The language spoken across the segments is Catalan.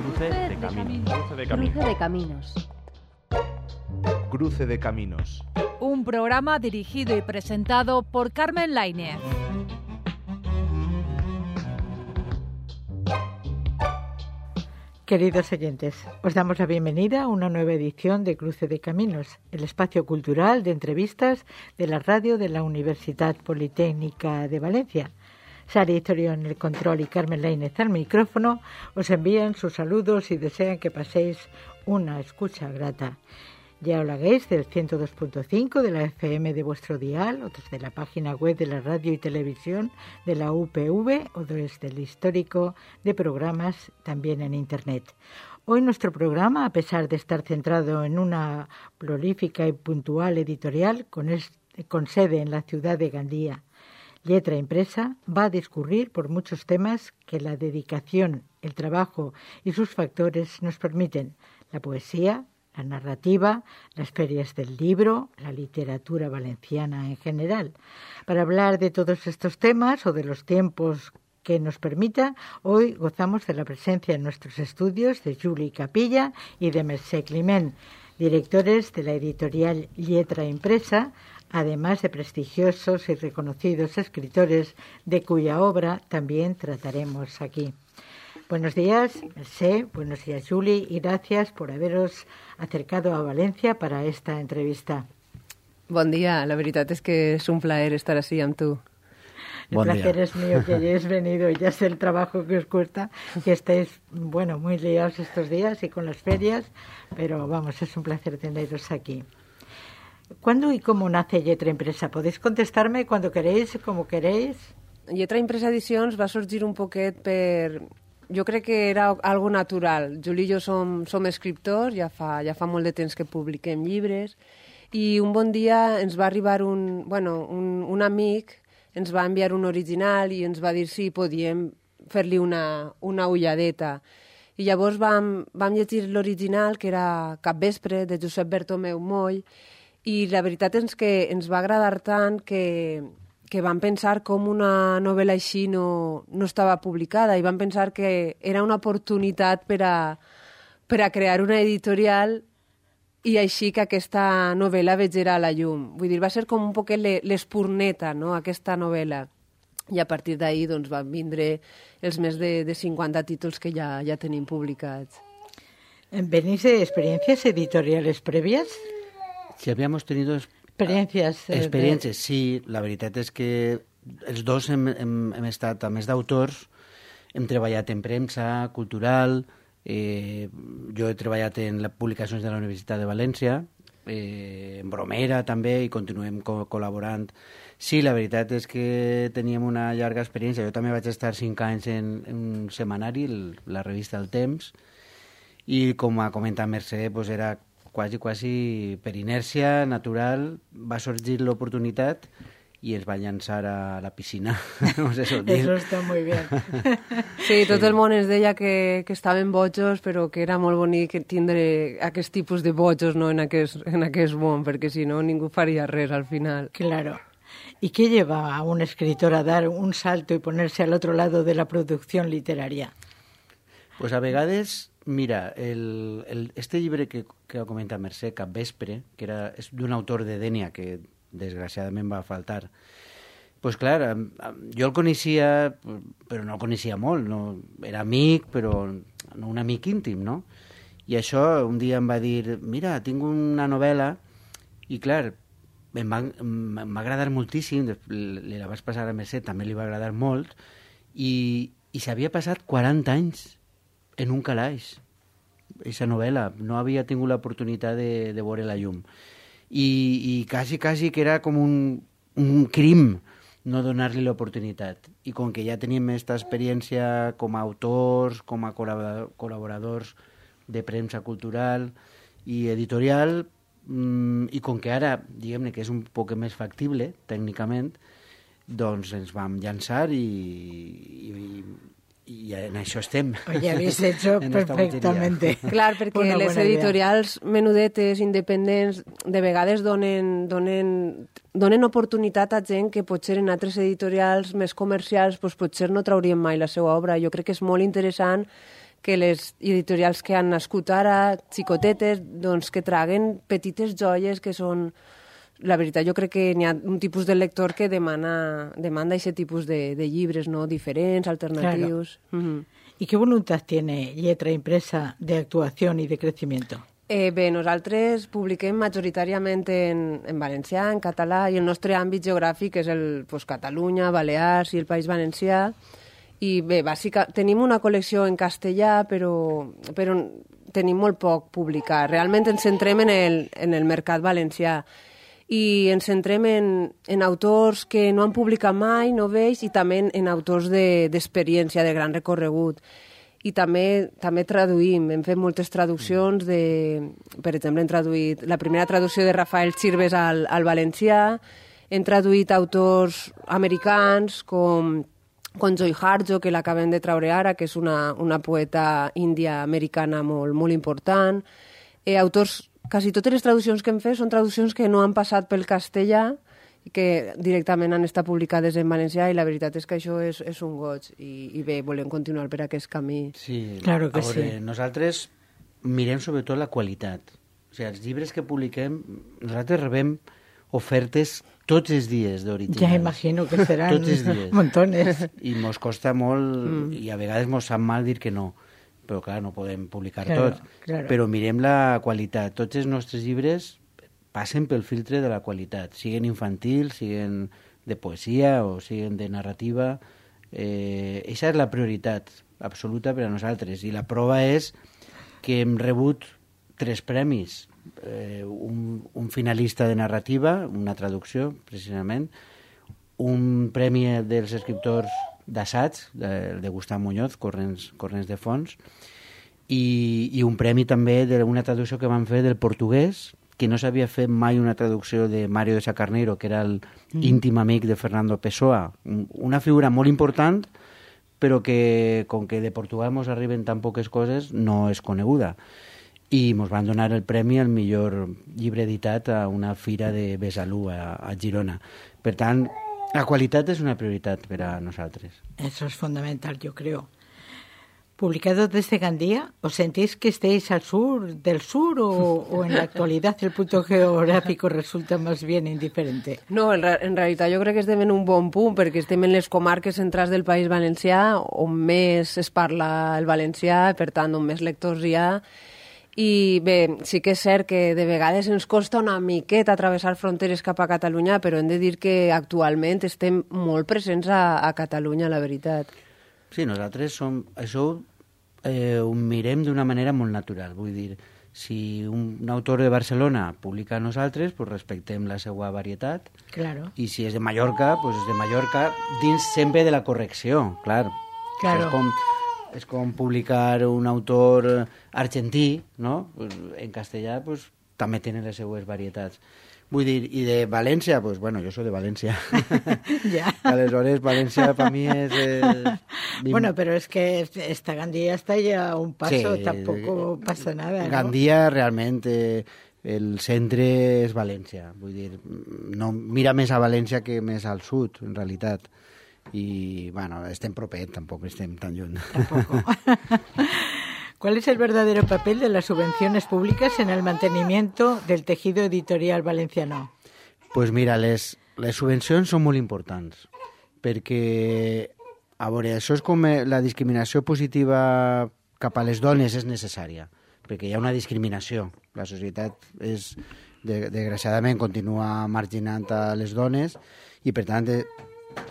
Cruce de caminos. Cruce de caminos. Cruce de caminos. Un programa dirigido y presentado por Carmen Lainez. Queridos oyentes, os damos la bienvenida a una nueva edición de Cruce de Caminos, el espacio cultural de entrevistas de la radio de la Universidad Politécnica de Valencia. Sara Itorio en el control y Carmen Lainez al micrófono os envían sus saludos y desean que paséis una escucha grata. Ya os hagáis del 102.5 de la FM de vuestro dial, o desde la página web de la radio y televisión de la UPV, o desde el histórico de programas también en Internet. Hoy nuestro programa, a pesar de estar centrado en una prolífica y puntual editorial con sede en la ciudad de Gandía, Lletra Impresa, va a discurrir por muchos temas que la dedicación, el trabajo y sus factores nos permiten: la poesía, la narrativa, las ferias del libro, la literatura valenciana en general. Para hablar de todos estos temas o de los tiempos que nos permita, hoy gozamos de la presencia en nuestros estudios de Juli Capilla y de Mercè Climent, directores de la editorial Lletra Impresa, además de prestigiosos y reconocidos escritores de cuya obra también trataremos aquí. Buenos días, Mercè, buenos días, Juli, y gracias por haberos acercado a Valencia para esta entrevista. Bon dia, la veritat és que és un plaer estar así amb tu. El placer es mío que hayáis venido, y ya sé el trabajo que os cuesta, que estéis, muy liados estos días y con las ferias, pero vamos, es un placer teneros aquí. ¿Cuándo y cómo nace Lletra Impresa? Podéis contestarme cuando queréis, como queréis. Lletra Impresa Edicions va sorgir un poquet per... Jo crec que era algo natural. Juli i jo som escriptors, ja fa molt de temps que publiquem llibres, i un bon dia ens va arribar un amic, ens va enviar un original i ens va dir si podíem fer-li una ulladeta. I llavors vam llegir l'original, que era Capvespre, de Josep Bertomeu Moll, i la veritat és que ens va agradar tant que vam pensar com una novel·la així no estava publicada, i vam pensar que era una oportunitat per a crear una editorial i així que aquesta novel·la vegera a la llum. Vull dir, va ser com un poquet l'espurneta, no?, aquesta novel·la. I a partir d'ahir doncs, van vindre els més de 50 títols que ja tenim publicats. ¿Venís de experiencias editoriales previas? Si habíamos tenido experiencias, sí. La veritat és que els dos hem estat, a més d'autors, hem treballat en premsa, cultural, jo he treballat en les publicacions de la Universitat de València, en Bromera també, i continuem col·laborant. Sí, la veritat és que teníem una llarga experiència. Jo també vaig estar 5 anys en un setmanari, la revista El Temps, i com ha comentat Mercè, doncs era quasi per inèrcia natural, va sorgir l'oportunitat i ens va llançar a la piscina. Eso està molt bé. Sí, tot el món ens deia que estaven bojos, però que era molt bonic tindre aquest tipus de bojos, no, en aquest món, perquè si no ningú faria res al final. Claro. ¿Y qué lleva a un escritor a dar un salto y ponerse al otro lado de la producción literaria? Pues a vegades... Mira, este llibre que ha comentat Mercè, Capvespre, que és d'un autor de Dénia, que desgraciadament va faltar, pues clar, jo el coneixia, però no el coneixia molt, no? Era amic, però no un amic íntim, no? I això un dia em va dir, mira, tinc una novel·la, i clar, em va agradar moltíssim, li la vaig passar a Mercè, també li va agradar molt, i s'havia passat 40 anys en un calaix, aquesta novel·la. No havia tingut l'oportunitat de veure la llum. I quasi que era com un crim no donar-li l'oportunitat. I com que ja teníem aquesta experiència com a autors, com a col·laboradors de premsa cultural i editorial, i com que ara, diguem-ne, que és un poc més factible, tècnicament, doncs ens vam llançar i en això estem. Ya habéis hecho perfectamente. Clar, perquè les editorials menudetes, independents, de vegades donen oportunitat a gent que potser en altres editorials més comercials potser no traurien mai la seva obra. Jo crec que és molt interessant que les editorials que han nascut ara, xicotetes, doncs que traguen petites joies que són... La veritat, jo crec que n'hi ha un tipus de lector que demanda aquest tipus de llibres, no? Diferents, alternatius. Claro. ¿Y qué voluntad tiene Lletra Impresa de actuación y de crecimiento? Bé, nosaltres publiquem majoritàriament en valencià, en català, i el nostre àmbit geogràfic és Catalunya, Balears i el País Valencià. I bé, tenim una col·lecció en castellà, però tenim molt poc publicat. Realment ens centrem en el mercat valencià i ens centrem en autors que no han publicat mai, novells, i també en autors d'experiència, de gran recorregut. I també traduïm, hem fet moltes traduccions per exemple, hem traduït la primera traducció de Rafael Chirves al valencià, hem traduït autors americans com Joy Harjo, que l'acabem de traure ara, que és una poeta índia-americana molt important. Quasi totes les traduccions que hem fet són traduccions que no han passat pel castellà, que directament han estat publicades en valencià, i la veritat és que això és un goig, i bé, volem continuar per aquest camí. Sí, claro que sí. Nosaltres mirem sobretot la qualitat. O sigui, els llibres que publiquem, nosaltres rebem ofertes tots els dies d'originals. Ja imagino que seran montones. I mos costa molt, i a vegades mos sap mal dir que no. Però, clar, no podem publicar tot. Claro. Però mirem la qualitat. Tots els nostres llibres passen pel filtre de la qualitat, siguin infantils, siguin de poesia o siguin de narrativa. Eixa és la prioritat absoluta per a nosaltres. I la prova és que hem rebut 3 premis. Un finalista de narrativa, una traducció, precisament, un premi dels escriptors d'assaig, de Gustau Muñoz, Corrents de fons, i un premi també d'una traducció que van fer del portuguès, que no s'havia fet mai una traducció de Mario de Sacarneiro, que era l'íntim amic de Fernando Pessoa, una figura molt important, però que, com que de Portugal mos arriben tan poques coses, no és coneguda. I mos van donar el premi al millor llibre editat a una fira de Besalú, a Girona. Per tant, la qualitat és una prioritat per a nosaltres. Eso es fundamental, yo creo. Publicado desde Gandía, ¿os sentís que estéis al sur del sur o en la actualidad el punto geográfico resulta más bien indiferente? No, en realitat jo crec que estem en un bon punt, perquè estem en les comarques centrals del País Valencià, on més es parla el valencià, per tant, on més lectors hi ha. I bé, sí que és cert que de vegades ens costa una miqueta atravessar fronteres cap a Catalunya, però hem de dir que actualment estem molt presents a Catalunya, la veritat. Sí, nosaltres això ho mirem d'una manera molt natural. Vull dir, si un autor de Barcelona publica a nosaltres, pues respectem la seva varietat. Claro. I si és de Mallorca, pues és de Mallorca, dins sempre de la correcció, clar. Claro. És com publicar un autor argentí, no? Pues en castellà pues, també tenen les seues varietats. Vull dir, i de València, pues bueno, jo soy de València. Ya. Aleshores, València per mi és... Bueno, pero es que esta Gandía está ya a un paso, sí, tampoco pasa nada, ¿no? Gandía realment, el centre és València. Vull dir, no mira més a València que més al sud, en realitat. I, bueno, estem propet, tampoc estem tan lluny. Tampoco. ¿Cuál es el verdadero papel de las subvenciones públicas en el mantenimiento del tejido editorial valenciano? Pues mira, les subvencions són molt importants, perquè, a veure, això és com la discriminació positiva cap a les dones és necessària, perquè hi ha una discriminació. La societat desgraciadament continua marginant a les dones i, per tant,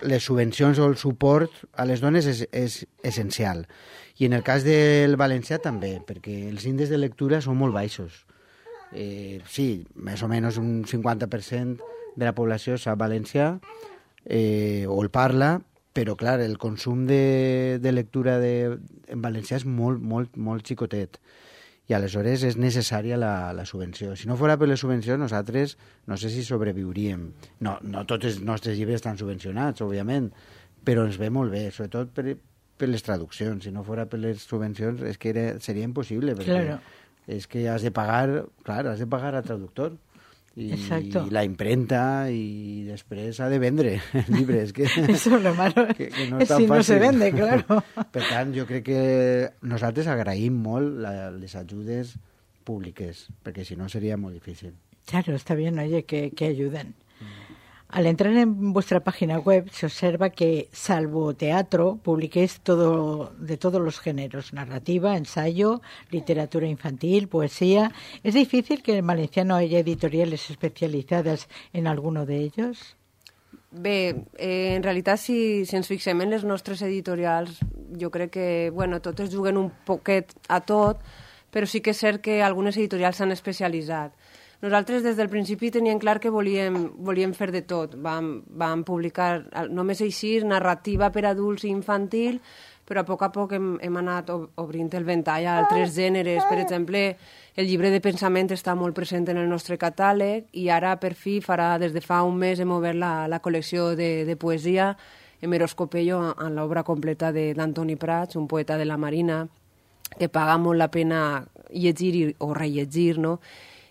les subvencions o el suport a les dones és essencial. I en el cas del valencià també, perquè els índexs de lectura són molt baixos. Sí, més o menys un 50% de la població sap valencià o el parla, però clar, el consum de lectura en valencià és molt xicotet. I aleshores és necessària la subvenció. Si no fos per les subvencions, nosaltres no sé si sobreviuríem. No tots els nostres llibres estan subvencionats, òbviament, però ens ve molt bé, sobretot per les traduccions. Si no fos per les subvencions és que seria impossible, perquè és que has de pagar al traductor. Exacto. la imprenta i després s'ha de vendre el llibre. És que, Eso es lo malo. que no és tan Si no fàcil. se vende, claro. Per tant, jo crec que nosaltres agraïm molt les ajudes públiques, perquè si no seria molt difícil. Claro, está bien, oye, que ayuden. Al entrar en vuestra página web se observa que, salvo teatro, publiquéis de todos los géneros: narrativa, ensayo, literatura infantil, poesía. ¿Es difícil que en valenciano haya editoriales especializadas en alguno de ellos? Bé, en realitat, si ens fixem en les nostres editorials, jo crec que, bueno, totes juguen un poquet a tot, però sí que és cert que algunes editorials s'han especialitzat. Nosaltres des del principi teníem clar que volíem fer de tot. Vam publicar només així narrativa per adults i infantil, però a poc hem anat obrint el ventall a altres gèneres. Per exemple, el llibre de pensament està molt present en el nostre catàleg i ara, per fi, des de fa un mes hem obert la col·lecció de poesia Eros Copello en l'obra completa d'Antoni Prats, un poeta de la Marina, que paga molt la pena llegir o rellegir, no?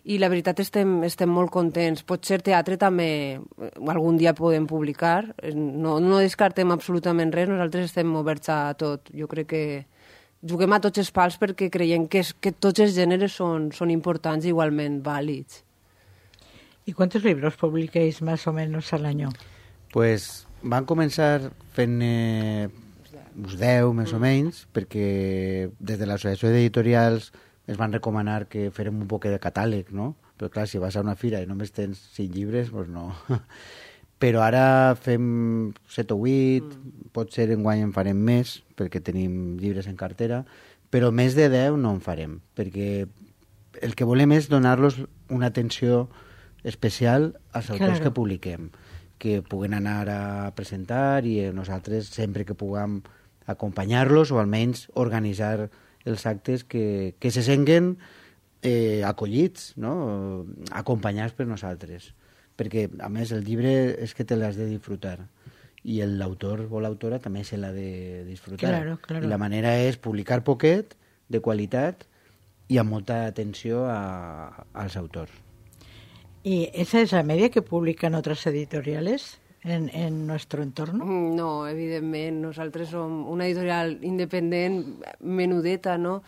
I la veritat estem molt contents. Potser teatre també algun dia podem publicar. No descartem absolutament res, nosaltres estem oberts a tot. Jo crec que juguem a tots els pals perquè creiem que tots els gèneres són importants i igualment vàlids. ¿Y cuántos libros publiquéis más o menos al año? Pues van començar fent uns 10, més o menys, perquè des de l'Associació d'Editorials es van recomanar que fèrem un poc de catàleg, no? Però clar, si vas a una fira i només tens 5 llibres, doncs no. Però ara fem 7 o 8, potser enguany en farem més, perquè tenim llibres en cartera, però més de 10 no en farem, perquè el que volem és donar-los una atenció especial als autors que publiquem, que puguen anar a presentar i nosaltres sempre que puguem acompanyar-los o almenys organitzar els actes que se senguen acollits, no? Acompanyats per nosaltres. Perquè, a més, el llibre és que te l'has de disfrutar i l'autor o l'autora també se l'ha de disfrutar. Claro, claro. I la manera és publicar poquet, de qualitat i amb molta atenció als autors. ¿Y esa es la media que publican otras editoriales en nuestro entorno? No, evidentment. Nosaltres som una editorial independent, menudeta, no?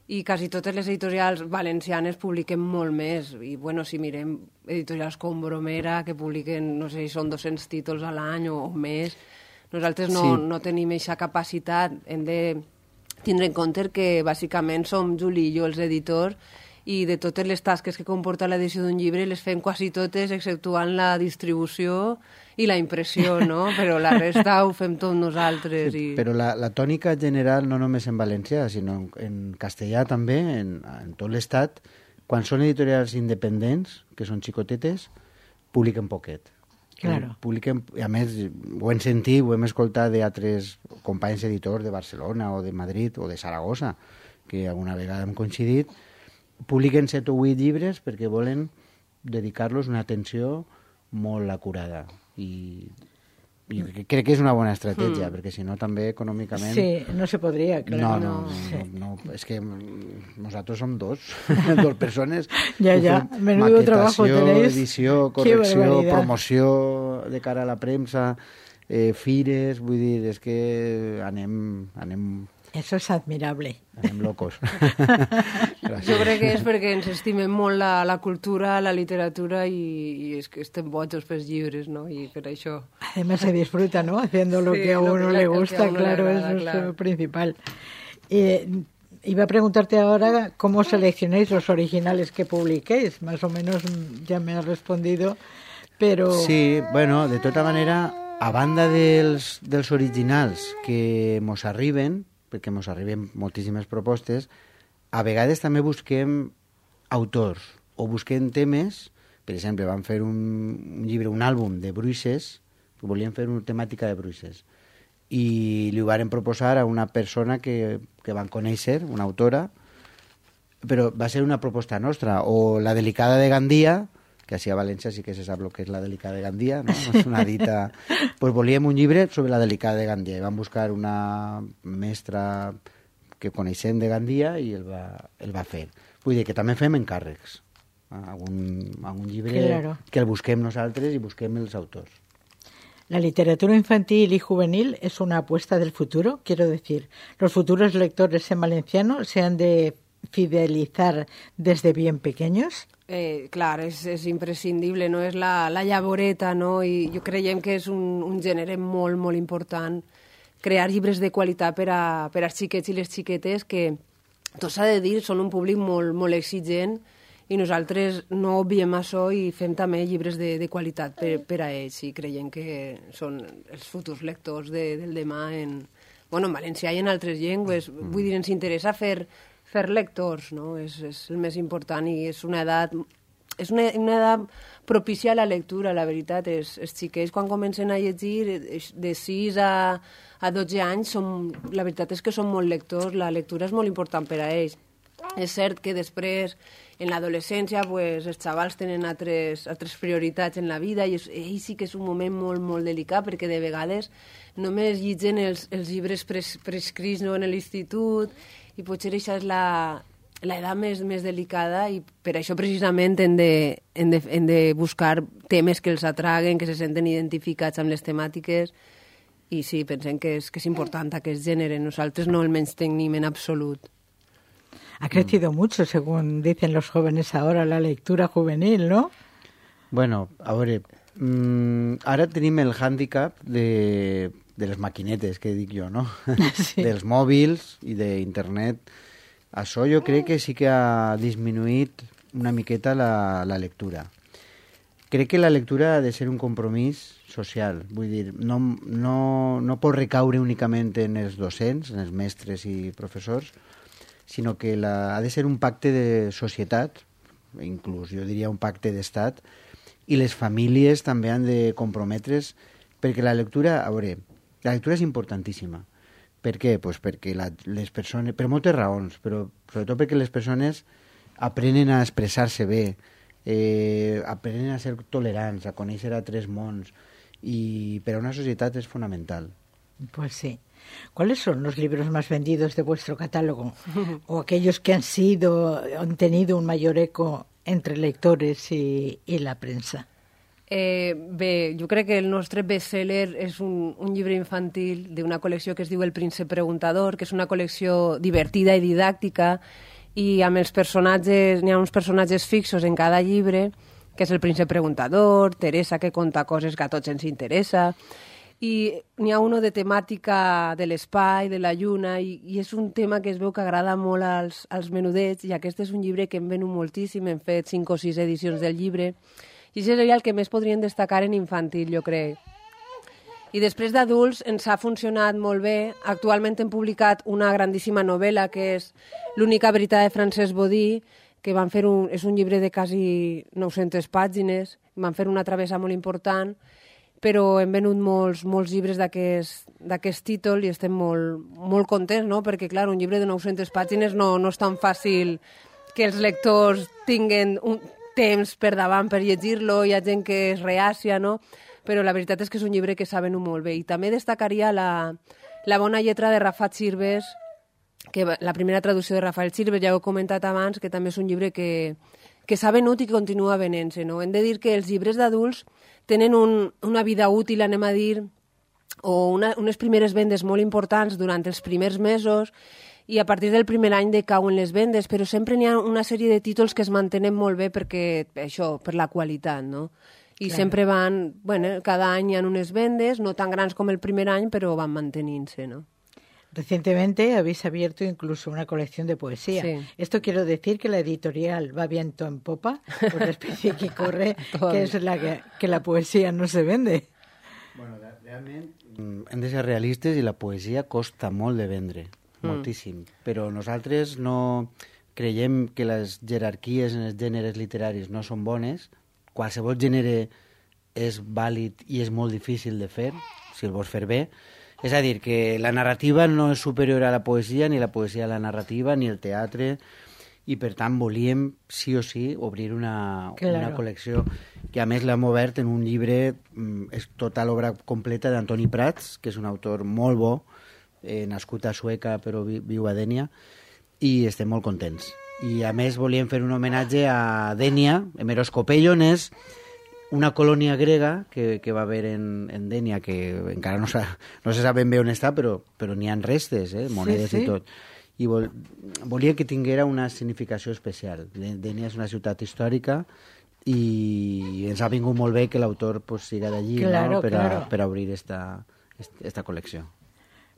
I quasi totes les editorials valencianes publiquen molt més. I, bueno, si mirem editorials com Bromera, que publiquen, no sé si són 200 títols a l'any o més, nosaltres no tenim aquesta capacitat. Hem de tindre en compte que, bàsicament, som Juli i jo els editors, i de totes les tasques que comporta l'edició d'un llibre les fem quasi totes, exceptuant la distribució i la impressió, no? Però la resta ho fem tot nosaltres. Sí, però la tònica general, no només en valencià, sinó en castellà també, en tot l'estat, quan són editorials independents, que són xicotetes, publiquen poquet. Claro. Publiquen, a més, ho hem sentit, ho hem escoltat d'altres companys editors de Barcelona o de Madrid o de Saragossa, que alguna vegada hem coincidit, publiquen 7 o 8 llibres perquè volen dedicar-los una atenció molt acurada. I crec que és una bona estratègia, perquè si no també econòmicament... Sí, no se podria, claro. No, és que nosaltres som dos persones. Ja, menudo trabajo tenéis. Edició, correcció, promoció de cara a la premsa, fires, vull dir, és que anem... Eso es admirable. Anem locos. Jo crec que és perquè ens estimem molt la cultura, la literatura i és que estem bojos pels llibres, ¿no? Y per això... Además se disfruta, ¿no? Haciendo lo que a uno le gusta, claro, eso es lo principal. Iba a preguntarte ahora cómo seleccionáis los originales que publiquéis. Más o menos ya me has respondido, pero... Sí, bueno, de tota manera, a banda dels originals que mos arriben, perquè mos arriben moltíssimes propostes, a vegades també busquem autors o busquem temes. Per exemple, vam fer un llibre, un àlbum de bruixes, que volíem fer una temàtica de bruixes, i li ho varen proposar a una persona que van conèixer, una autora, però va ser una proposta nostra. O La delicada de Gandia, que així a València sí que se sap el que és la delicada de Gandia, no? És una dita... Pues volíem un llibre sobre la delicada de Gandia i vam buscar una mestra que coneixem de Gandia i el va fer. Vull dir que també fem encàrrecs. algun llibre Claro. que el busquem nosaltres i busquem els autors. La literatura infantil y juvenil es una apuesta del futuro, quiero decir. Los futuros lectores en valenciano se han de fidelizar desde bien pequeños. Clar, és imprescindible, no? És la llavoreta, no? I jo creiem que és un gènere molt, molt important crear llibres de qualitat per als xiquets i les xiquetes que, tot s'ha de dir, són un públic molt, molt exigent i nosaltres no obviem això i fem també llibres de qualitat per a ells i creiem que són els futurs lectors del demà en valencià i en altres llengües. Vull dir, ens interessa fer lectors, no? És el més important i és una edat propícia a la lectura, la veritat. Els xiquets, quan comencen a llegir, de 6 a 12 anys, la veritat és que són molt lectors, la lectura és molt important per a ells. És cert que després, en l'adolescència, els xavals tenen altres prioritats en la vida i sí que és un moment molt, molt delicat perquè de vegades només llitgen els llibres prescrits en l'institut i potser això és l'edat més delicada i per això precisament hem de buscar temes que els atraguen, que se senten identificats amb les temàtiques i sí, pensem que és important aquest gènere. Nosaltres no el menystenim en absolut. Ha crecido mucho, según dicen los jóvenes ahora, la lectura juvenil, ¿no? Bueno, a veure, ara tenim el hàndicap de les maquinetes, que dic jo, no? Sí. Dels mòbils i d'internet. Això jo crec que sí que ha disminuït una miqueta la lectura. Crec que la lectura ha de ser un compromís social. Vull dir, no pot recaure únicament en els docents, en els mestres i professors, sinó que ha de ser un pacte de societat, inclús jo diria un pacte d'estat, i les famílies també han de comprometre's, perquè la lectura, a veure, la lectura és importantíssima. Per què? Pues perquè les persones, per moltes raons, però sobretot perquè les persones aprenen a expressar-se bé, aprenen a ser tolerants, a conèixer altres mons, i per a una societat és fonamental. Pues sí. ¿Cuáles son los libros más vendidos de vuestro catálogo? O aquellos que han tenido un mayor eco entre lectores y la prensa? Bé, jo crec que el nostre best-seller és un llibre infantil d'una col·lecció que es diu El príncep preguntador, que és una col·lecció divertida i didàctica i amb els personatges, n'hi ha uns personatges fixos en cada llibre, que és el príncep preguntador, Teresa, que conta coses que a tots ens interessa, i n'hi ha uno de temàtica de l'espai, de la lluna, i és un tema que es veu que agrada molt als menudets, i aquest és un llibre que hem venut moltíssim, hem fet 5 o 6 edicions del llibre, i això seria el que més podrien destacar en infantil, jo crec. I després d'adults ens ha funcionat molt bé. Actualment hem publicat una grandíssima novel·la, que és L'única veritat de Francesc Bodí, que és un llibre de quasi 900 pàgines, van fer una travessa molt important, però hem venut molts llibres d'aquest títol i estem molt contents, no? Perquè, clar, un llibre de 900 pàgines no és tan fàcil que els lectors tinguen un temps per davant per llegir-lo, hi ha gent que és reàcia, no? Però la veritat és que és un llibre que s'ha venut molt bé. I també destacaria La bona lletra de Rafa Chirves, que la primera traducció de Rafael Chirves, ja ho he comentat abans, que també és un llibre que s'ha venut i que continua venent-se, no? Hem de dir que els llibres d'adults tenen una vida útil, anem a dir, o unes primeres vendes molt importants durant els primers mesos i a partir del primer any decauen les vendes, però sempre n'hi ha una sèrie de títols que es mantenen molt bé perquè, això, per la qualitat, no? I sempre van, cada any hi ha unes vendes, no tan grans com el primer any, però van mantenint-se, no? Recientemente habéis abierto incluso una colección de poesía. Sí. Esto quiero decir que la editorial va viento en popa, por la especie que corre, que es la que la poesía no se vende. Bueno, realment hem de ser realistes i la poesia costa molt de vendre, moltíssim. Però nosaltres no creiem que les jerarquies en els gèneres literaris no són bones. Qualsevol gènere és vàlid i és molt difícil de fer, si el vols fer bé. És a dir, que la narrativa no és superior a la poesia, ni la poesia a la narrativa, ni el teatre, i per tant volíem, sí o sí, obrir una col·lecció que a més l'hem obert en un llibre, és tota l'obra completa d'Antoni Prats, que és un autor molt bo, nascut a Sueca però viu a Dénia, i estem molt contents. I a més volien fer un homenatge a Dénia, Hemeroscopellones, una colònia grega que va haver en Dénia, que encara no se sap ben bé on està, però n'hi ha restes, monedes i tot. I volia que tinguera una significació especial. Dénia és una ciutat històrica i ens ha vingut molt bé que l'autor pues, siga d'allí, claro, ¿no? per obrir esta colección.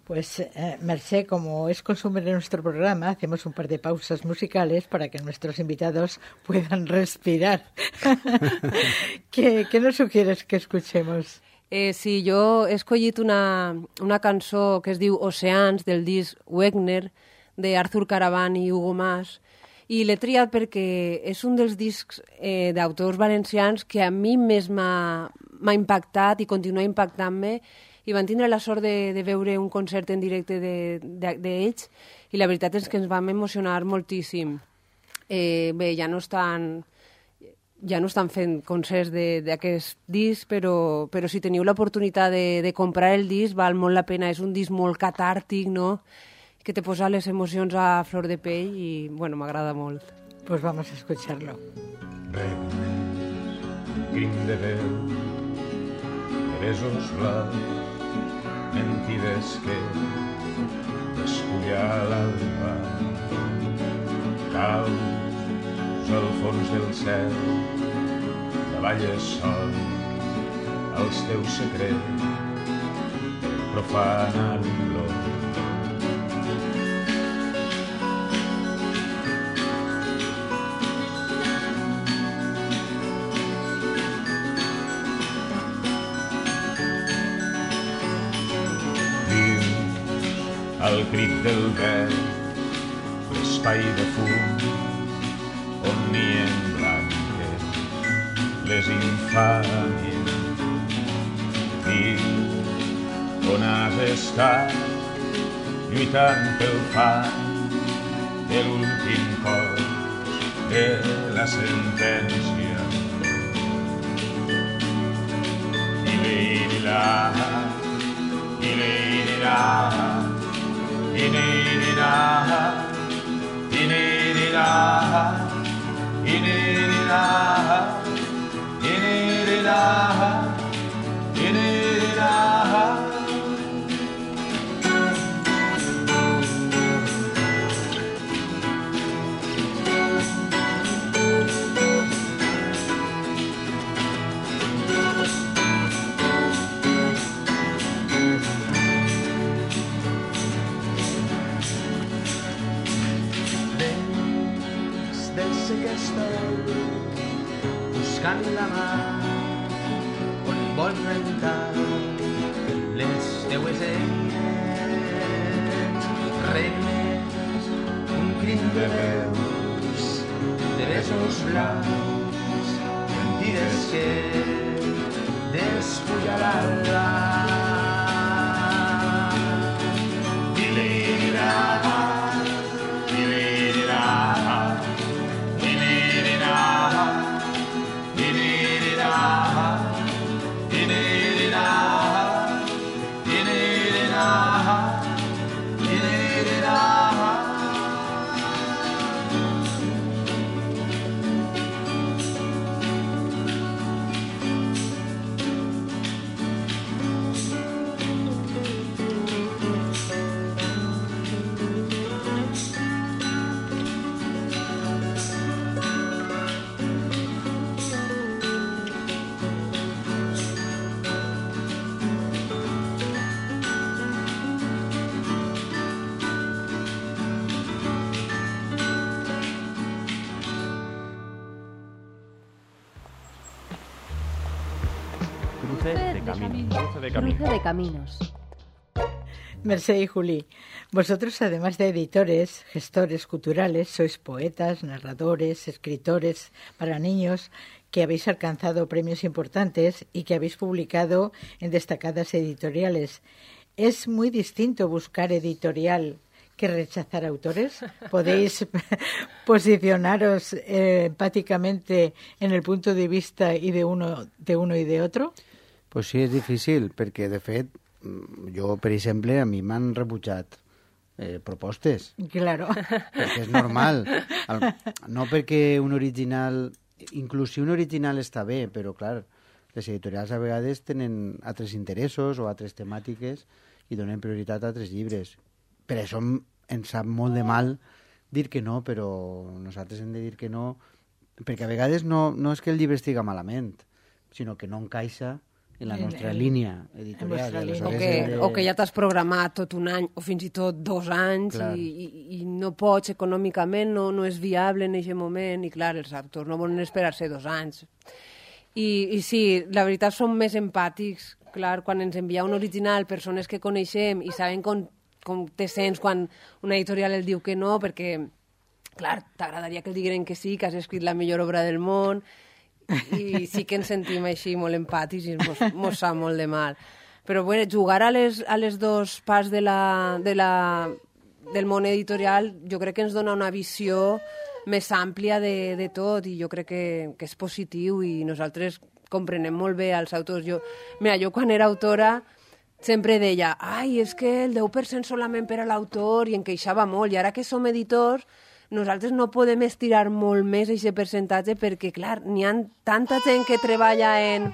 Pues, Mercè, como es costumbre en nuestro programa, hacemos un par de pausas musicales para que nuestros invitados puedan respirar. ¿Qué nos sugieres que escuchemos? Sí, jo he escollit una cançó que es diu Oceans, del disc Wegner, d'Arthur Caravan i Hugo Mas, i l'he triat perquè és un dels discs d'autors valencians que a mi més m'ha impactat i continua impactant-me, i van tindre la sort de veure un concert en directe d'ells, i la veritat és que ens vam emocionar moltíssim. Bé, ja no estan fent concerts d'aquest disc, però si teniu l'oportunitat de comprar el disc, val molt la pena. És un disc molt catàrtic, no?, que te posa les emocions a flor de pell i, bueno, m'agrada molt. Pues vamos a escucharlo. Crim de veu, de besos blancs, mentides que despulla l'alba, caus al fons del cel, davalles sol els teus secrets, profanant-los. Al crit del vent, l'espai de fum, on nien blanques les infàmies. Diu on has estat, lluitant pel fang de l'últim cos de la sentència. I-li-li-la, i-li-li-la, Inirira, inirira, inirira, inirira, inirira. Buscant la mà on vols rentar les teues eines, regnes, un crim de veus, de besos blancs, mentides que despullaran-la. Cruce de caminos. Mercè y Juli, vosotros, además de editores, gestores culturales, sois poetas, narradores, escritores para niños que habéis alcanzado premios importantes y que habéis publicado en destacadas editoriales. ¿Es muy distinto buscar editorial que rechazar autores? ¿Podéis posicionaros empáticamente en el punto de vista y de uno y de otro? Pues sí, és difícil, perquè, de fet, jo, per exemple, a mi m'han rebutjat propostes. Claro. Perquè és normal. No perquè un original... Inclús si un original està bé, però clar, les editorials a vegades tenen altres interessos o altres temàtiques i donen prioritat a altres llibres. Per això ens sap molt de mal dir que no, però nosaltres hem de dir que no, perquè a vegades no és que el llibre estiga malament, sinó que no encaixa en la nostra línia editorial. O que ja t'has programat tot un any o fins i tot 2 anys i no pots econòmicament, no és viable en aquest moment i clar, els autors no volen esperar-se 2 anys. I sí, la veritat som més empàtics, clar, quan ens envia un original persones que coneixem i saben com te sents quan una editorial el diu que no, perquè, clar, t'agradaria que el digueren que sí, que has escrit la millor obra del món, i sí que ens sentim així molt empàtics i mos sap molt de mal. Però bueno, jugar a les dos parts del món editorial jo crec que ens dona una visió més àmplia de tot i jo crec que és positiu i nosaltres comprenem molt bé els autors. Jo quan era autora sempre deia, és que el 10% solament per a l'autor i em queixava molt i ara que som editors nosaltres no podem estirar molt més aquest percentatge perquè, clar, n'hi ha tanta gent que treballa en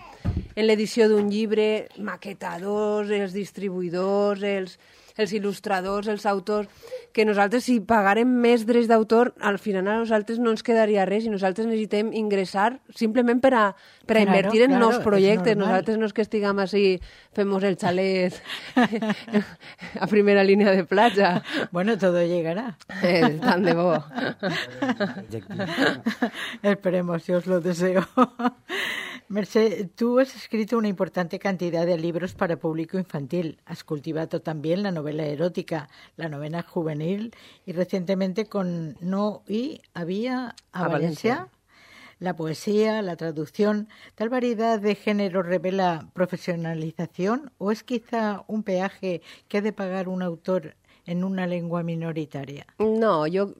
l'edició d'un llibre, maquetadors, els distribuïdors, els il·lustradors, els autors, que nosaltres si pagarem més drets d'autor, al final a nosaltres no ens quedaria res i nosaltres necessitem ingressar simplement per a invertir en nous projectes. Nosaltres no és que estiguem així, fem el xalet a primera línia de platja. Bueno, todo llegará. Tan de bo. Esperemos, yo os lo deseo. Mercè, tú has escrito una importante cantidad de libros para público infantil. Has cultivado también la novela erótica, la novela juvenil y recientemente con No y Había a Valencia, la poesía, la traducción. ¿Tal variedad de género revela profesionalización o es quizá un peaje que ha de pagar un autor en una lengua minoritaria? No, jo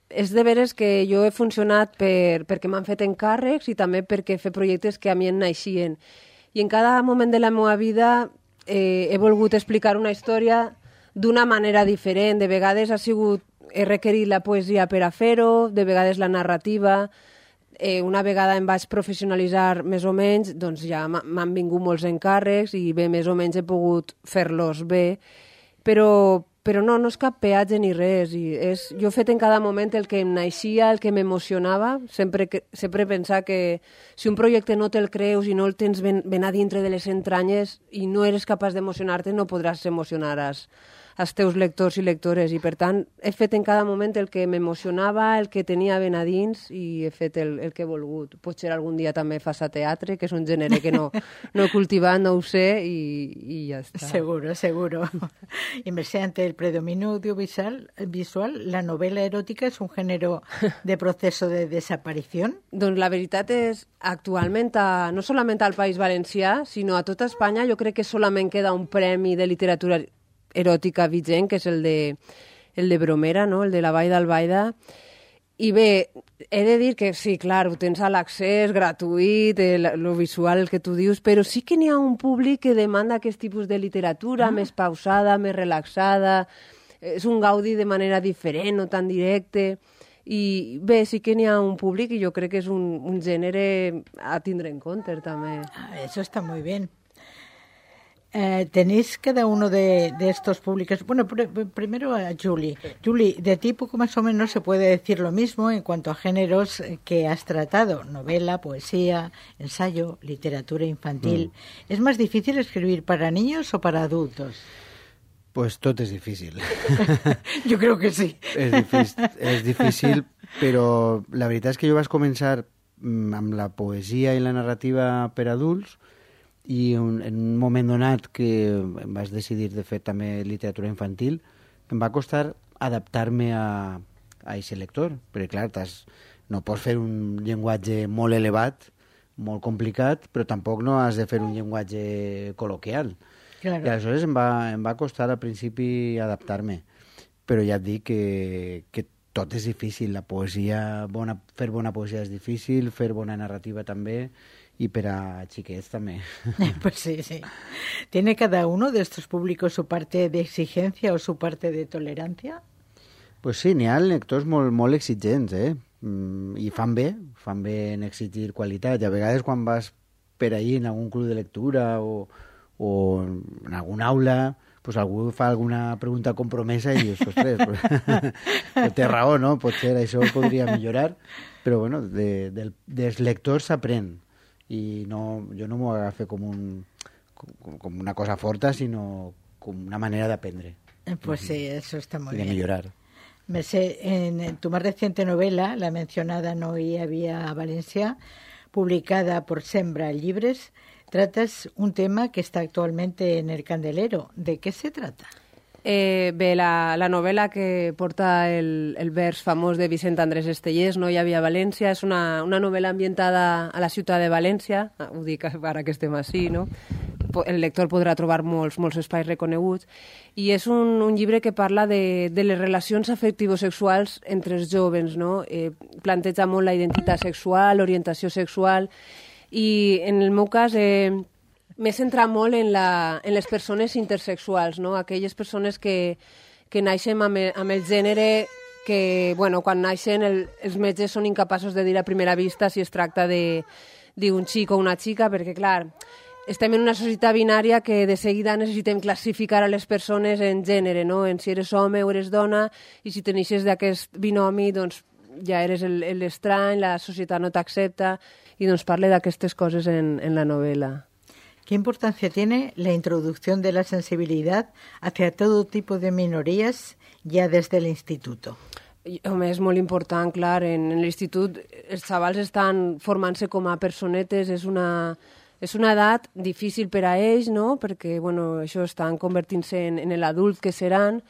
és de veres que jo he funcionat perquè m'han fet encàrrecs i també perquè fer projectes que a mi em naixien. I en cada moment de la meva vida he volgut explicar una història d'una manera diferent. De vegades he requerit la poesia per a fer-ho, de vegades la narrativa. Una vegada em vaig professionalitzar més o menys, doncs ja m'han vingut molts encàrrecs i bé, més o menys he pogut fer-los bé. Però no és cap peatge ni res. Jo he fet en cada moment el que em naixia, el que m'emocionava. Sempre pensar que si un projecte no te'l creus i no el tens ben a dintre de les entranyes i no eres capaç d'emocionar-te, no podràs emocionar els teus lectors i lectores. I per tant, he fet en cada moment el que m'emocionava, el que tenia ben a dins i he fet el que he volgut. Potser algun dia també fas a teatre, que és un gènere que no he cultivat, no ho sé, i ja està. Seguro, seguro. Y Mercè, ante el predominio audiovisual, la novela erótica es un género de proceso de desaparición. Doncs la veritat és, actualment, no solament al País Valencià, sinó a tota Espanya, jo crec que solament queda un premi de literatura eròtica vigent, que és el de Bromera, no? El de la Vall d'Albaida. I bé, he de dir que sí, clar, ho tens a l'accés gratuït, lo visual, el que tu dius, però sí que n'hi ha un públic que demanda aquest tipus de literatura més pausada, més relaxada, és un gaudi de manera diferent, no tan directe. I bé, sí que n'hi ha un públic i jo crec que és un gènere a tindre en compte també. Eso está muy bien. Tenéis cada uno de estos públicos. Bueno, primero a Julie. Julie, de ti poco más o menos se puede decir lo mismo en cuanto a géneros que has tratado: novela, poesía, ensayo, literatura infantil. ¿Es más difícil escribir para niños o para adultos? Pues tot és difícil. Jo crec que sí. És difícil, però la veritat és que jo vaig començar amb la poesia i la narrativa per adults i en un moment donat que em vaig decidir de fer també literatura infantil, em va costar adaptar-me a aquest lector, perquè clar, no pots fer un llenguatge molt elevat, molt complicat, però tampoc no has de fer un llenguatge col·loquial. Claro. I aleshores em va costar al principi adaptar-me, però ja et dic que tot és difícil. La poesia, fer bona poesia és difícil, fer bona narrativa també, y per a xiquets també. Pues sí, sí. ¿Tiene cada uno de estos públicos su parte de exigencia o su parte de tolerancia? Pues sí, n'hi ha lectors molt exigents, i fan bé en exigir qualitat. I a vegades quan vas per ahí en algun club de lectura o en alguna aula, pues algú fa alguna pregunta compromesa i dius, ostres, pues, té raó, no? Potser això podria millorar, però bueno, dels lectors s'aprèn. I no, jo no m'ho agafé com una cosa forta, sinó com una manera d'aprendre. Pues sí, eso está muy y de bien. mejorar. En tu más reciente novela, la mencionada No hi havia Valencia, publicada por Sembra Llibres, tratas un tema que está actualmente en el candelero. ¿De qué se trata? Bé, la novel·la que porta el vers famós de Vicent Andrés Estellés, No hi havia València, és una novel·la ambientada a la ciutat de València, ho dic ara que estem així, no? El lector podrà trobar molts espais reconeguts, i és un llibre que parla de les relacions afectivo-sexuals entre els joves, no? Planteja molt la identitat sexual, l'orientació sexual, i en el meu cas m'he centrat molt en les persones intersexuals, no? Aquelles persones que naixen amb el gènere que, bueno, quan naixen els metges són incapaços de dir a primera vista si es tracta d'un xic o una xica, perquè, clar, estem en una societat binària que de seguida necessitem classificar a les persones en gènere, no? En si eres home o eres dona, i si te neixes d'aquest binomi, doncs ja eres l'estrany, la societat no t'accepta, i doncs parla d'aquestes coses en la novel·la. ¿Qué importancia tiene la introducción de la sensibilidad hacia todo tipo de minorías ya desde el instituto? Home, és molt important, clar. En l'institut els xavals estan formant-se com a personetes, és una edat difícil per a ells, no? Perquè, bueno, això estan convertint-se en l'adult que seran,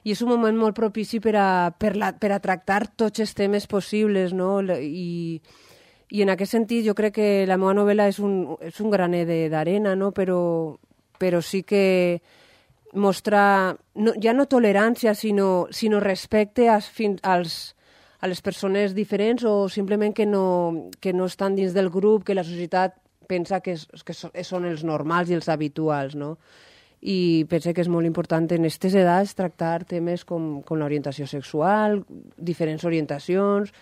i és un moment molt propici per a tractar tots els temes possibles, no? I en aquest sentit jo crec que la meva novel·la és un graner d'arena, no? Però sí que mostra ja no tolerància, sinó respecte a les persones diferents, o simplement que no estan dins del grup, que la societat pensa que són els normals i els habituals, no? I penso que és molt important en aquestes edats tractar temes com l'orientació sexual, diferents orientacions,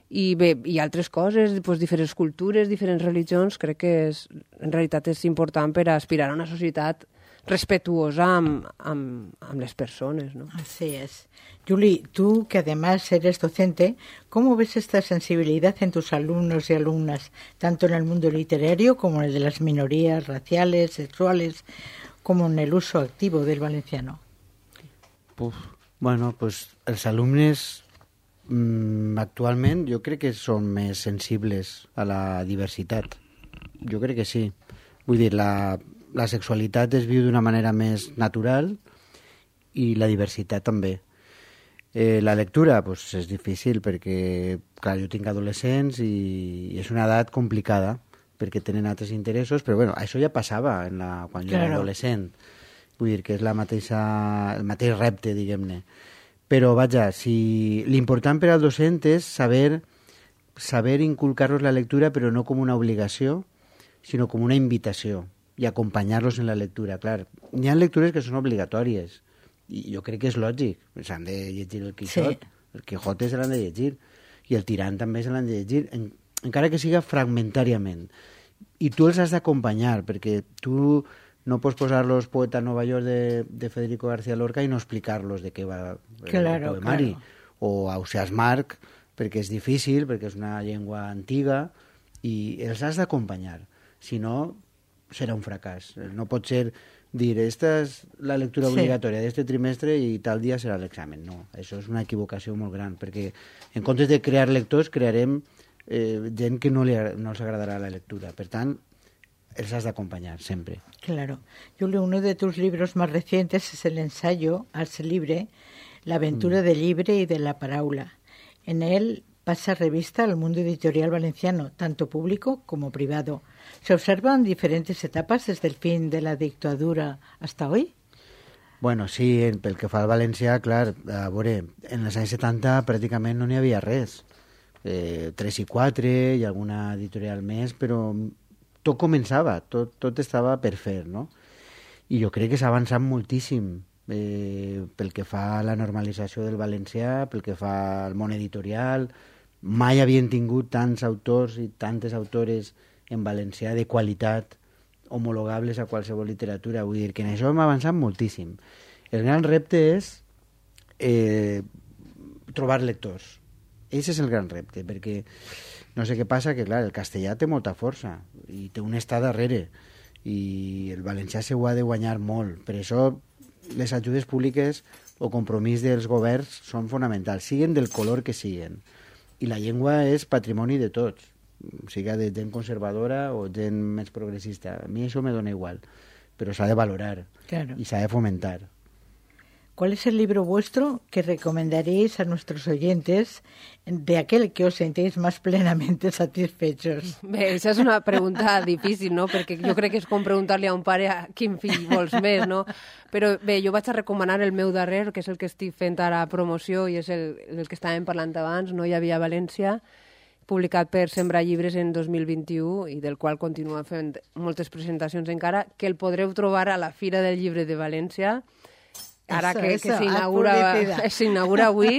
i bé, i altres coses, doncs, diferents cultures, diferents religions. Crec que en realitat és important per aspirar a una societat respetuosa amb les persones, ¿no? Así es. Juli, tú que además eres docente, ¿cómo ves esta sensibilidad en tus alumnos y alumnas, tanto en el mundo literario como en el de las minorías raciales, sexuales, como en el uso activo del valenciano? Bueno, pues els alumnes actualment jo crec que són més sensibles a la diversitat. Jo crec que sí. Vull dir, la sexualitat es viu d'una manera més natural i la diversitat també. La lectura pues, és difícil perquè, clar, jo tinc adolescents i és una edat complicada perquè tenen altres interessos, però bueno, això ja passava quan jo era adolescent. Vull dir que és el mateix repte, diguem-ne. Però, vaja, l'important per al docent és saber inculcar-los la lectura, però no com una obligació, sinó com una invitació, i acompanyar-los en la lectura. Clar, hi ha lectures que són obligatòries, i jo crec que és lògic. S'han de llegir el Quixot, sí. El Quijote se l'han de llegir, i el Tirant també se l'han de llegir, encara que siga fragmentàriament. I tu els has d'acompanyar, perquè tu no pots posar-los Poeta a Nova York de Federico García Lorca i no explicar-los de què va el poemari. O Ausiàs Marc, perquè és difícil, perquè és una llengua antiga, i els has d'acompanyar. Si no, serà un fracàs. No pot ser dir, esta és la lectura obligatòria d'este trimestre i tal dia serà l'examen. No, això és una equivocació molt gran, perquè en comptes de crear lectors, crearem gent que no els agradarà la lectura. Per tant, els has de acompañar siempre. Claro. Julio, uno de tus libros más recientes es el ensayo Ars Libre, la aventura del libre y de la paráula. En él pasa revista al mundo editorial valenciano, tanto público como privado. ¿Se observan diferentes etapas desde el fin de la dictadura hasta hoy? Bueno, sí, pel que fa al valencià, clar, a veure, en els anys 70 pràcticament no n'hi havia res. 3 i 4 i alguna editorial més, però tot començava, tot estava per fer, no? I jo crec que s'ha avançat moltíssim pel que fa a la normalització del valencià, pel que fa al món editorial. Mai havien tingut tants autors i tantes autores en valencià de qualitat homologables a qualsevol literatura. Vull dir que en això hem avançat moltíssim. El gran repte és trobar lectors. Ese és el gran repte, perquè no sé què passa, que clar, el castellà té molta força i té un estat darrere i el valencià se ho ha de guanyar molt. Per això les ajudes públiques o compromís dels governs són fonamentals, siguen del color que siguen. I la llengua és patrimoni de tots, siga de gent conservadora o gent més progressista. A mi això me dona igual, però s'ha de valorar y s'ha de fomentar. ¿Cuál es el libro vuestro que recomendaréis a nuestros oyentes de aquel que os sentéis más plenamente satisfechos? Bé, això és una pregunta difícil, no? Perquè jo crec que és com preguntar-li a un pare a quin fill vols més, no? Però bé, jo vaig a recomanar el meu darrer, que és el que estic fent ara promoció i és el que estàvem parlant abans, No hi havia València, publicat per Sembrar Llibres en 2021 i del qual continua fent moltes presentacions encara, que el podreu trobar a la Fira del Llibre de València, ara que s'inaugura avui,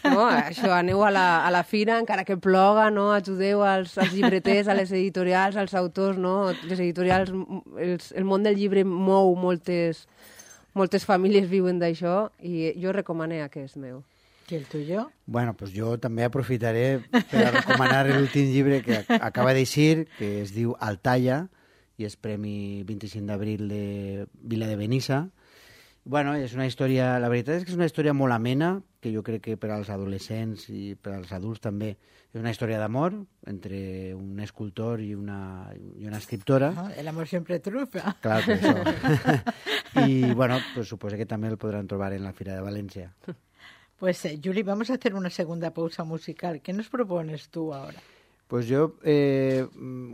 no? Això, aneu a la fira, encara que ploga, no? Ajudeu als llibreters, a les editorials, als autors, no? Les editorials, el món del llibre mou moltes famílies viuen d'això i jo recomané aquest meu. ¿Y el tuyo? Bueno, pues jo també aprofitaré per a recomanar l'últim llibre que acaba d'eixir, que es diu Altaya, i és Premi 25 d'abril de Vila de Benissa. Bueno, és una història, la veritat és que és una història molt amena, que jo crec que per als adolescents i per als adults també és una història d'amor entre un escultor i una escriptora. El amor siempre triunfa. Clar, per això. I, bueno, pues suposo que també el podran trobar en la Fira de València. Pues, Juli, vamos a hacer una segunda pausa musical. ¿Qué nos propones tú ahora? Pues jo,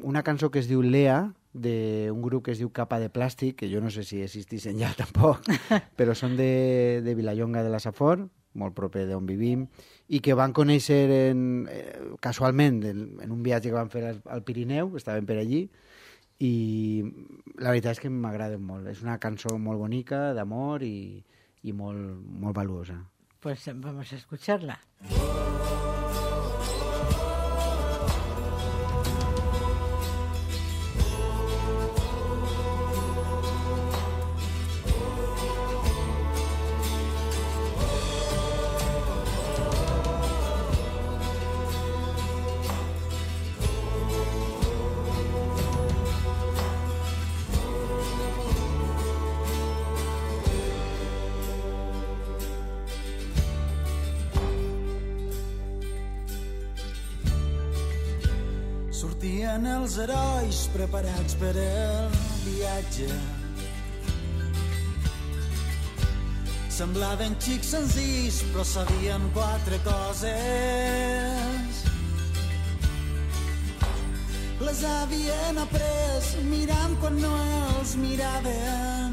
una cançó que es diu Lea, d'un grup que es diu Capa de Plàstic, que jo no sé si existissin ja tampoc, però són de Vilallonga de la Safor, molt proper d'on vivim, i que van conèixer casualment en un viatge que van fer al Pirineu, estaven per allí, i la veritat és que m'agraden molt. És una cançó molt bonica, d'amor i molt valuosa. Pues vamos a escucharla. Sortien els herois preparats per el viatge. Semblaven xics senzills, però sabien 4 coses. Les havien après mirant quan no els miraven.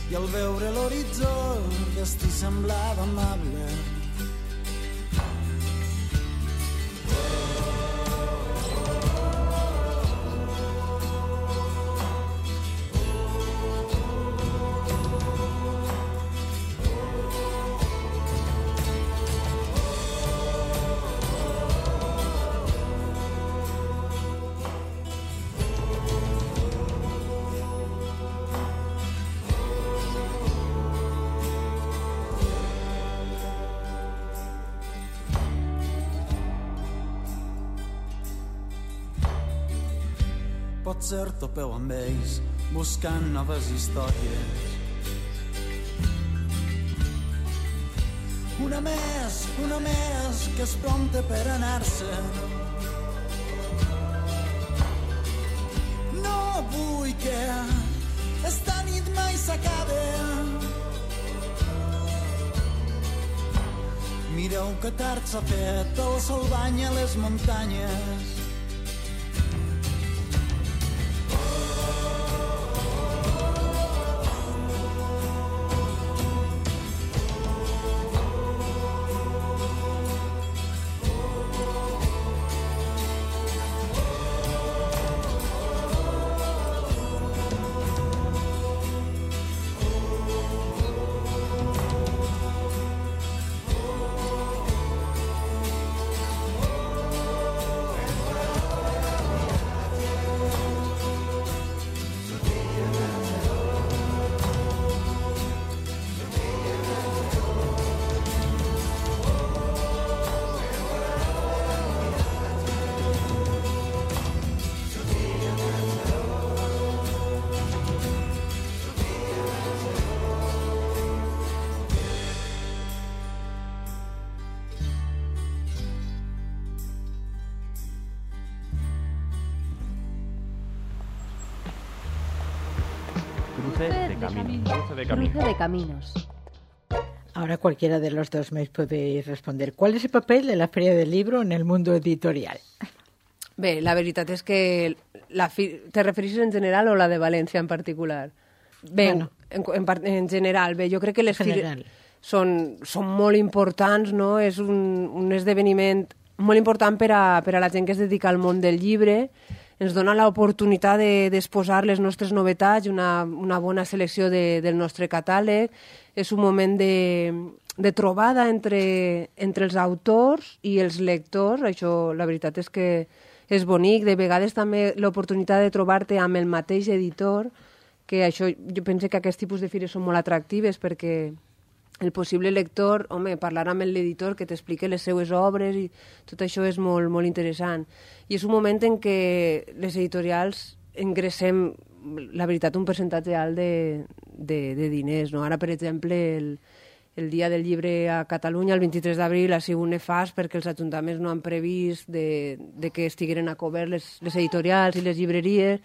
I al veure l'horitzó el destí semblava amable. Potser topeu amb ells buscant noves històries. Una més que es prompte per anar-se'n. No vull que esta nit mai s'acabe. Mireu que tard s'ha fet, el sol banya les muntanyes. Cruce de caminos. Cruce de caminos. Cruce de caminos. Ahora cualquiera de los dos me podéis responder. ¿Cuál es el papel de la Feria del Libro en el mundo editorial? Bé, la veritat és que te refereixes en general o la de València en particular? Bé, Bueno. en general, bé, jo crec que les General. són molt importants, no? És un esdeveniment molt important per a la gent que es dedica al món del llibre. Ens dona l'oportunitat d'exposar les nostres novetats, una bona selecció del nostre catàleg. És un moment de trobada entre els autors i els lectors. Això, la veritat és que és bonic. De vegades també l'oportunitat de trobar-te amb el mateix editor, que això, jo penso que aquest tipus de fires són molt atractives perquè el possible lector, home, parlar amb l'editor que t'expliqui les seues obres i tot això és molt, molt interessant. I és un moment en què les editorials ingressem, la veritat, un percentatge alt de diners, no? Ara, per exemple, el Dia del Llibre a Catalunya, el 23 d'abril, ha sigut nefast perquè els ajuntaments no han previst de que estigueren a cobert les editorials i les llibreries,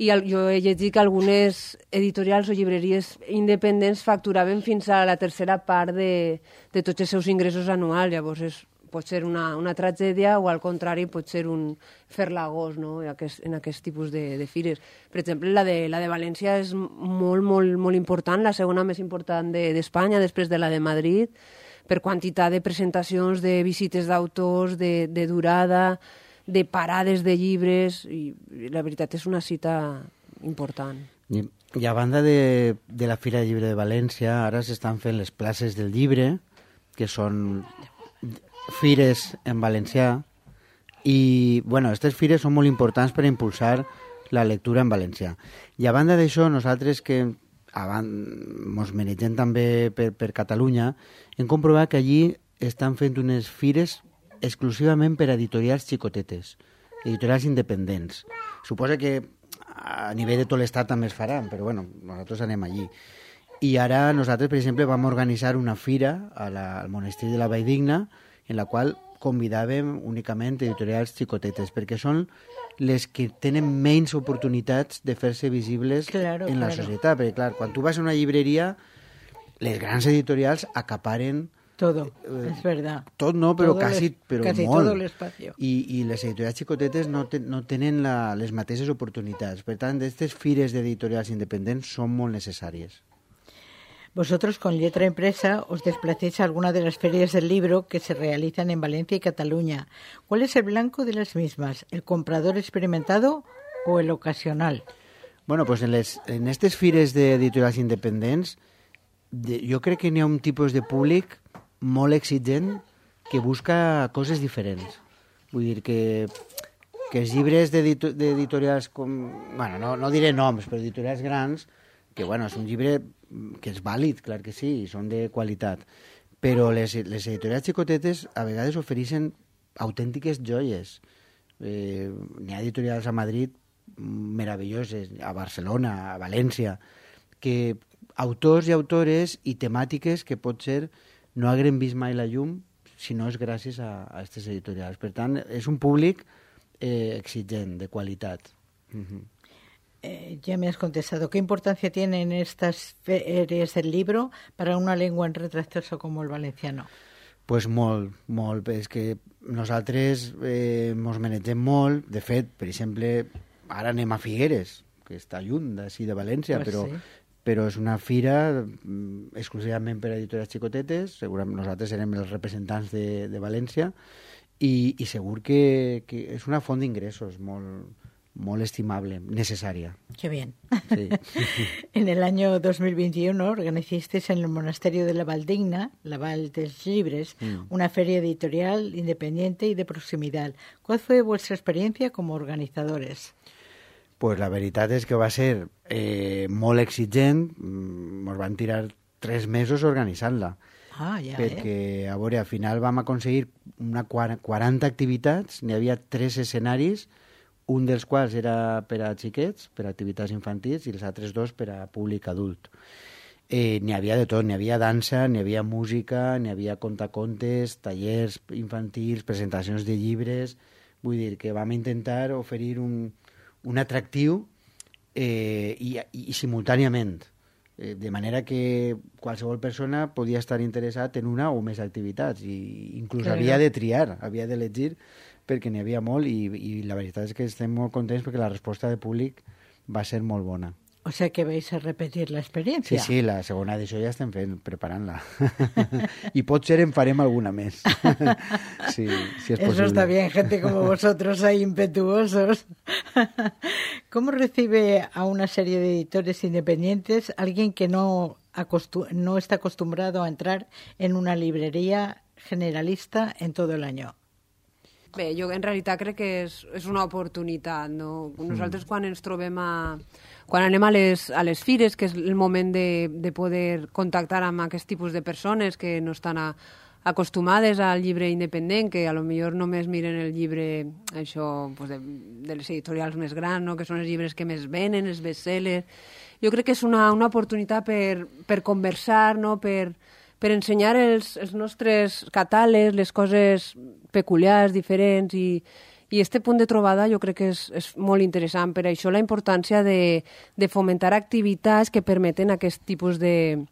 i jo he llegit que algunes editorials o llibreries independents facturaven fins a la tercera part de tots els seus ingressos anuals. Llavors pot ser una tragèdia o al contrari pot ser un ferlagós, no? en aquest tipus de fires. Per exemple, la de València és molt, molt, molt important, la segona més important d'Espanya, després de la de Madrid, per quantitat de presentacions, de visites d'autors, de durada, de parades de llibres, i la veritat és una cita important. I a banda de la Fira de Llibre de València, ara s'estan fent les places del llibre, que són fires en valencià, i bueno, aquestes fires són molt importants per impulsar la lectura en valencià. I a banda d'això, nosaltres que mos manegem també per Catalunya, hem comprovat que allí estan fent unes fires exclusivament per a editorials xicotetes, editorials independents. Suposa que a nivell de tot l'estat també es faran, però bueno, nosaltres anem allí. I ara nosaltres, per exemple, vam organitzar una fira al monestir de la Valldigna, en la qual convidàvem únicament editorials xicotetes, perquè són les que tenen menys oportunitats de fer-se visibles en la societat. Perquè, clar, quan tu vas a una llibreria, les grans editorials acaparen todo, es verdad. Tot no, però casi molt. Todo l'espacio. I les editorials xicotetes no tenen les mateixes oportunitats. Per tant, aquestes fires d'editorials independents són molt necessàries. Vosotros, con Letra Impresa, os desplacéis a alguna de las ferias del libro que se realizan en Valencia y Cataluña. ¿Cuál es el blanco de las mismas? ¿El comprador experimentado o el ocasional? Bueno, pues en aquestes fires d'editorials independents jo crec que n'hi ha un tipus de públic molt exigent que busca coses diferents. Vull dir que els llibres d'editorials com... Bueno, no diré noms, però editorials grans, que bueno, és un llibre que és vàlid, clar que sí, i són de qualitat. Però les editorials xicotetes a vegades ofereixen autèntiques joies. N'hi ha editorials a Madrid meravelloses, a Barcelona, a València, que autors i autores i temàtiques que potser no haguem vist mai la llum si no és gràcies a aquestes editorials. Per tant, és un públic exigent, de qualitat. Ya me has contestado. ¿Qué importancia tienen estas ferias del libro para una lengua en retroceso como el valenciano? Pues molt. És que nosaltres mos manegem molt. De fet, per exemple, ara anem a Figueres, que està lluny d'ací de València, però és una fira exclusivament per a editores xicotetes. Segurament nosaltres serem els representants de València i segur que és una font d'ingressos molt estimable, necesaria. Qué bien. Sí. En el año 2021 organizasteis en el monasterio de la Valldigna, la Val dels Llibres, una feria editorial independiente y de proximidad. ¿Cuál fue vuestra experiencia como organizadores? Pues la veritat és que va ser molt exigent. Ens van tirar 3 mesos organitzant-la. Perquè, a veure, al final vam aconseguir 40 activitats, n'hi havia 3 escenaris, un dels quals era per a xiquets, per a activitats infantils, i els altres 2 per a públic adult. N'hi havia de tot, n'hi havia dansa, n'hi havia música, n'hi havia contacontes, tallers infantils, presentacions de llibres. Vull dir que vam intentar oferir un atractiu i simultàniament. De manera que qualsevol persona podia estar interessat en una o més activitats i inclús havia de triar, havia d'elegir perquè n'hi havia molt i la veritat és que estem molt contents perquè la resposta del públic va ser molt bona. O sea que vais a repetir la experiencia. Sí, la segona edició ja estem preparant-la. I potser en farem alguna més. Sí, si és posible. Eso está bien, gente como vosotros ahí impetuosos. ¿Cómo recibe a una serie de editores independientes alguien que no está acostumbrado a entrar en una librería generalista en todo el año? Bé, jo en realitat crec que és una oportunitat, no? Nosaltres quan ens trobem quan anem a les fires, que és el moment de poder contactar amb aquest tipus de persones que no estan acostumades al llibre independent, que a lo millor només miren el llibre això, pues de les editorials més grans, no? Que són els llibres que més venen, els bestsellers. Jo crec que és una oportunitat per conversar, no? Per ensenyar els nostres catàlegs, les coses peculiars, diferents, i este punt de trobada jo crec que és molt interessant. Per això la importància de fomentar activitats que permeten aquest tipus de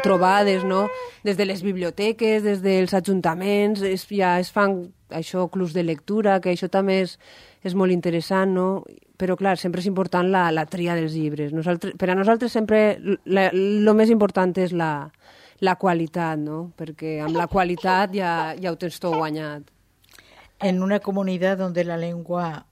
trobades, no? Des de les biblioteques, des dels ajuntaments, ja es fan això, clubs de lectura, que això també és molt interessant, no? Però, clar, sempre és important la tria dels llibres. Per a nosaltres sempre el més important és la qualitat, ¿no? Porque amb la qualitat ya ho tens tot guanyat. En una comunidad donde la lengua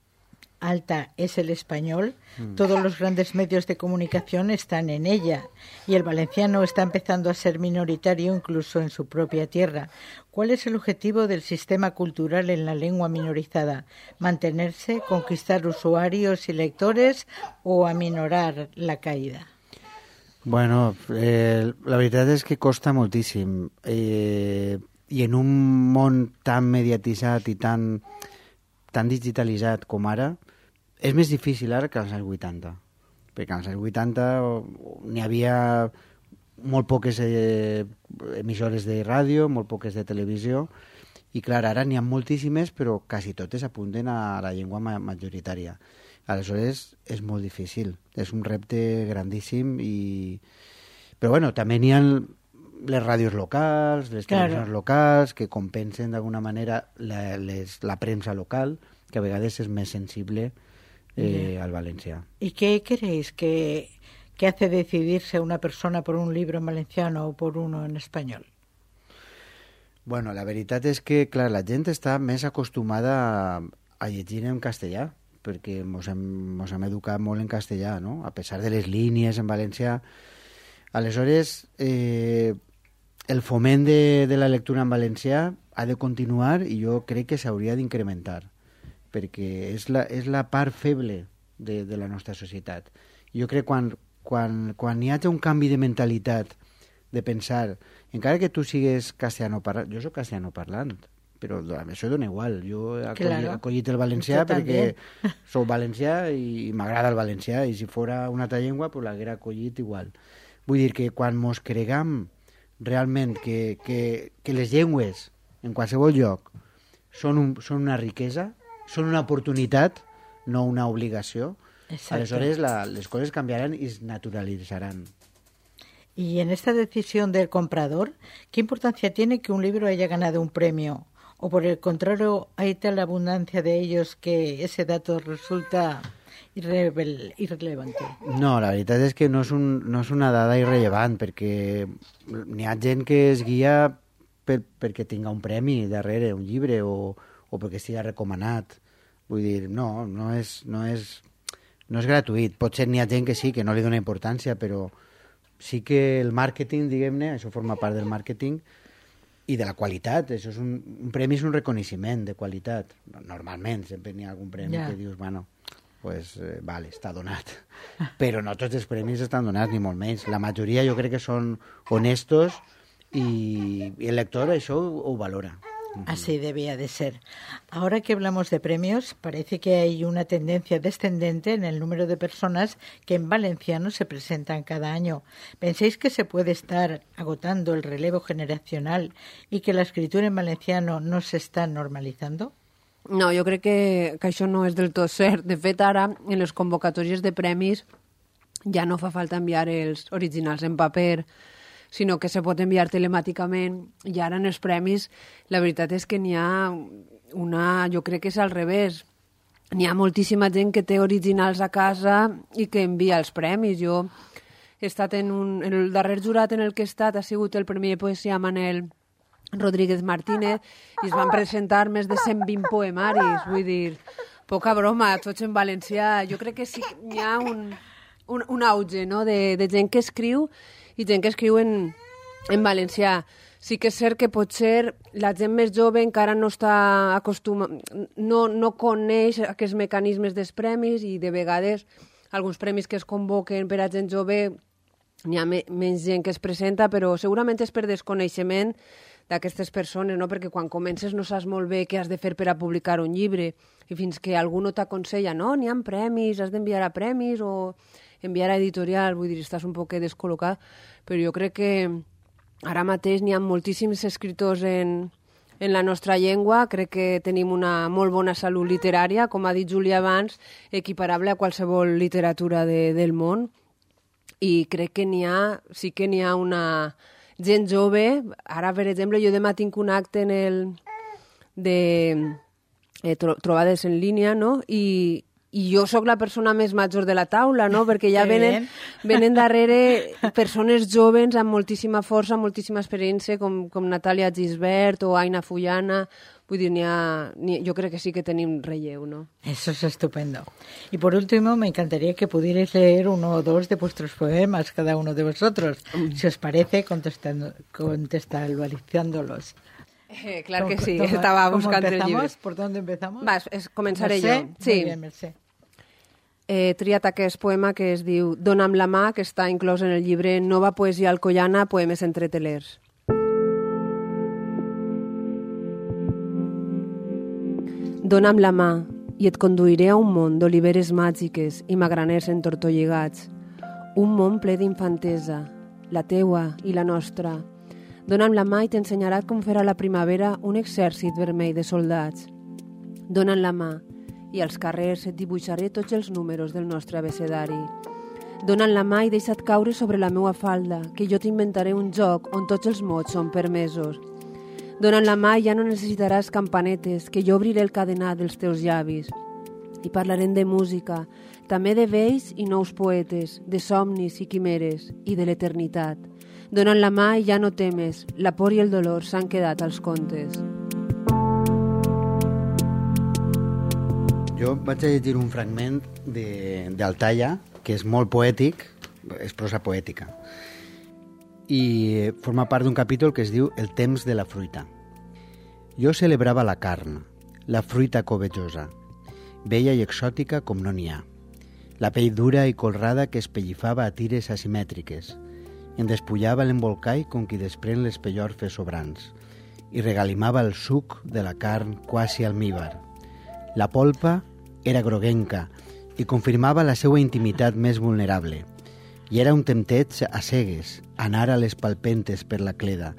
alta es el español, todos los grandes medios de comunicación están en ella y el valenciano está empezando a ser minoritario incluso en su propia tierra. ¿Cuál es el objetivo del sistema cultural en la lengua minorizada? ¿Mantenerse, conquistar usuarios y lectores o aminorar la caída? Bueno, la veritat és que costa moltíssim i en un món tan mediatitzat i tan digitalitzat com ara és més difícil ara que als anys 80, perquè als anys 80 n'hi havia molt poques emissores de ràdio, molt poques de televisió i clar, ara n'hi ha moltíssimes però quasi totes apunten a la llengua majoritària. Aleshores, és molt difícil. És un repte grandíssim però bueno, també n'hi ha les ràdios locals, les televisions locals, que compensen d'alguna manera la premsa local, que a vegades és més sensible al valencià. ¿Y qué creéis que hace decidirse una persona por un libro en valenciano o por uno en español? Bueno, la veritat és que, clar, la gent està més acostumada a llegir en castellà, perquè ens hem educat molt en castellà, no? A pesar de les línies en valencià. Aleshores, el foment de la lectura en valencià ha de continuar i jo crec que s'hauria d'incrementar, perquè és la part feble de la nostra societat. Jo crec que quan hi hagi un canvi de mentalitat, de pensar, encara que tu sigues castellano parlant, jo soc castellano parlant, però això dona igual. Jo he acollit el valencià perquè soc valencià i m'agrada el valencià i si fora una altra llengua pues l'haguera acollit igual. Vull dir que quan mos cregam realment que les llengües en qualsevol lloc són una riquesa, són una oportunitat, no una obligació, aleshores les coses canviaran i es naturalitzaran. Y en esta decisión del comprador, ¿qué importancia tiene que un libro haya ganado un premio? ¿O por el contrario, hay tal abundancia de ellos que ese dato resulta irrelevante? No, la veritat és que no és una dada irrellevant, perquè n'hi ha gent que es guia perquè tinga un premi darrere, un llibre, o perquè estigui recomanat. Vull dir, no és gratuït. Potser n'hi ha gent que sí, que no li dona importància, però sí que el màrqueting, diguem-ne, això forma part del màrqueting, i de la qualitat. Això és un premi és un reconeixement de qualitat. Normalment sempre n'hi ha algun premi que dius, bueno, pues vale, està donat. Però no tots els premis estan donats, ni molt menys. La majoria jo crec que són honestos y el lector eso ho valora. Así debía de ser. Ahora que hablamos de premios, parece que hay una tendencia descendente en el número de personas que en valenciano se presentan cada año. ¿Pensáis que se puede estar agotando el relevo generacional y que la escritura en valenciano no se está normalizando? No, jo crec que això no és del tot cert. De fet, ara, en les convocatòries de premis, ja no fa falta enviar els originals en paper, sinó que se pot enviar telemàticament. I ara en els premis, la veritat és que n'hi ha una... Jo crec que és al revés. N'hi ha moltíssima gent que té originals a casa i que envia els premis. Jo he estat en el darrer jurat en el que he estat ha sigut el Premi de Poesia Manel Rodríguez Martínez i es van presentar més de 120 poemaris. Vull dir, poca broma, tots en valencià. Jo crec que sí que hi ha un auge, no?, de gent que escriu i gent que escriu en valencià. Sí que és cert que potser la gent més jove encara no està no coneix aquests mecanismes dels premis i de vegades alguns premis que es convoquen per a gent jove n'hi ha menys gent que es presenta, però segurament és per desconeixement d'aquestes persones, no? Perquè quan comences no saps molt bé què has de fer per a publicar un llibre i fins que algú no t'aconsella, no, n'hi ha premis, has d'enviar a premis o enviar a editorial, vull dir, estàs un poc descol·locat, però jo crec que ara mateix n'hi ha moltíssims escriptors en la nostra llengua, crec que tenim una molt bona salut literària, com ha dit Júlia abans, equiparable a qualsevol literatura del món, i crec que sí que n'hi ha una gent jove. Ara, per exemple, jo demà tinc un acte de trobades en línia, no?, i jo sóc la persona més major de la taula, no?, perquè ja venen darrere persones joves amb moltíssima força, moltíssima experiència, com Natàlia Gisbert o Aina Fullana. Vull dir, yo creo que sí que tenim relleu, ¿no? Eso es estupendo. Y por último, me encantaría que pudierais leer uno o dos de vuestros poemas, cada uno de vosotros, si os parece, contextualizándolos. Claro que sí, estaba buscando el llibre. ¿Por dónde empezamos? Començaré jo. Sí. Muy bien, Mercè. He triat aquest poema que es diu Dona'm la mà, que està inclòs en el llibre Nova Poesia Alcoiana, Poemes entre telers. Dona'm la mà i et conduiré a un món d'oliveres màgiques i magraners entortolligats. Un món ple d'infantesa, la teua i la nostra. Dona'm la mà i t'ensenyarà com fer a la primavera un exèrcit vermell de soldats. Dona'm la mà i als carrers et dibuixaré tots els números del nostre abecedari. Dona'm la mà i deixa't caure sobre la meua falda, que jo t'inventaré un joc on tots els mots són permesos. Dona'm la mà i ja no necessitaràs campanetes, que jo obriré el cadenat dels teus llavis. I parlarem de música, també de vells i nous poetes, de somnis i quimeres, i de l'eternitat. Dona'm la mà i ja no temes, la por i el dolor s'han quedat als contes. Jo vaig a llegir un fragment d'Altaya, que és molt poètic, és prosa poètica, i forma part d'un capítol que es diu El temps de la fruita. Jo celebrava la carn, la fruita covejosa, bella i exòtica com no n'hi ha, la pell dura i colrada que es pellifava a tires asimètriques, en despullava l'embolcall com qui desprèn les pellorfes sobrants i regalimava el suc de la carn quasi almíbar. La polpa era groguenca i confirmava la seva intimitat més vulnerable. I era un tempteig a cegues, anar a les palpentes per la cleda,